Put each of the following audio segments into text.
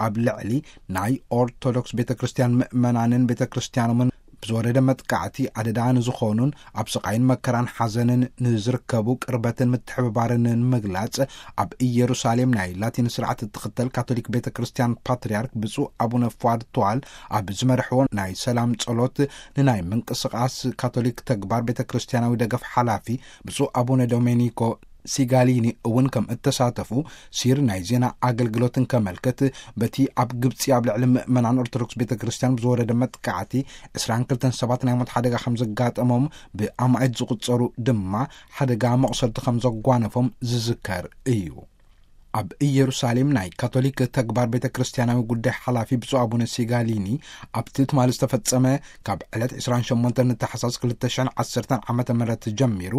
ኣብ ልዕሊ ናይ ኦርቶዶክስ ቤተ ክርስቲያን ምእመናንን ቤተ ክርስቲያኖምን ብዝወረደ መጥቃዕቲ ኣደዳ ንዝኾኑን ኣብ ስቓይን መከራን ሓዘንን ንዝርከቡ ቅርበትን ምትሕብባርን ንምግላጽ፣ ኣብ ኢየሩሳሌም ናይ ላቲን ስርዓት እትኽተል ካቶሊክ ቤተ ክርስቲያን ፓትርያርክ ብፁዕ ኣቡነ ፏድ ተዋል ኣብ ዝመርሕዎ ናይ ሰላም ጸሎት፣ ንናይ ምንቅስቓስ ካቶሊክ ተግባር ቤተ ክርስቲያናዊ ደገፍ ሓላፊ ብፁዕ ኣቡነ ዶሜኒኮ ሲጋሊኒ እውን ከም እተሳተፉ ሲር ናይ ዜና ኣገልግሎት እንከመልክት፣ በቲ ኣብ ግብጺ ኣብ ልዕሊ ምእመናን ኦርቶዶክስ ቤተ ክርስቲያን ብዝወረደ መጥቃዕቲ ዕስራን ክልተን ሰባት ናይ ሞት ሓደጋ ከም ዘጋጠሞም፣ ብኣማኢት ዝቑጸሩ ድማ ሓደጋ መቑሰልቲ ከም ዘጓነፎም ዝዝከር እዩ። ኣብ ኢየሩሳሌም ናይ ካቶሊክ ተግባር ቤተ ክርስቲያናዊ ጉዳይ ሓላፊ ብፁዕ ኣቡነ ሲጋሊኒ፣ ኣብቲ ትማሊ ዝተፈጸመ ካብ ዕለት ዕስራን ሸሞንተን ንተሓሳስ ክልተ ሽሕን ዓሰርተን ዓመተ ምህረት ጀሚሩ፣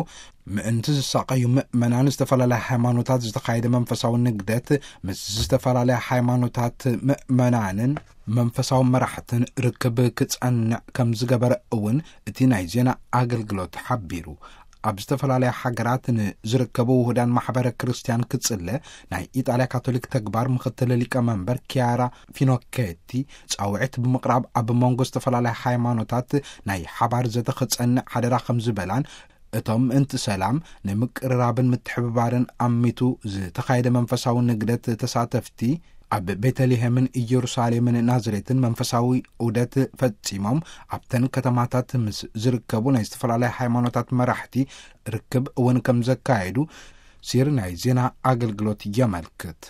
ምእንቲ ዝሳቐዩ ምእመናን ዝተፈላለያ ሃይማኖታት ዝተኻየደ መንፈሳዊ ንግደት፣ ምስ ዝተፈላለያ ሃይማኖታት ምእመናንን መንፈሳዊ መራሕትን ርክብ ክጸንዕ ከም ዝገበረ እውን እቲ ናይ ዜና ኣገልግሎት ሓቢሩ። ኣብ ዝተፈላለያ ሃገራት ንዝርከቡ ውሁዳን ማሕበረ ክርስቲያን ክጽለ፣ ናይ ኢጣልያ ካቶሊክ ተግባር ምኽትል ሊቀ መንበር ኪያራ ፊኖኬቲ ጻውዒት ብምቕራብ፣ ኣብ መንጎ ዝተፈላለያ ሃይማኖታት ናይ ሓባር ዘተ ክጸንዕ ሓደራ ከም ዝበላን፣ እቶም ምእንቲ ሰላም ንምቅርራብን ምትሕብባርን ኣሚቱ ዝተኻየደ መንፈሳዊ ንግደት ተሳተፍቲ፣ ኣብ ቤተልሔምን ኢየሩሳሌምን ናዝሬትን መንፈሳዊ ዑደት ፈጺሞም፣ ኣብተን ከተማታት ምስ ዝርከቡ ናይ ዝተፈላለያ ሃይማኖታት መራሕቲ ርክብ እውን ከም ዘካየዱ ሲር ናይ ዜና ኣገልግሎት የመልክት።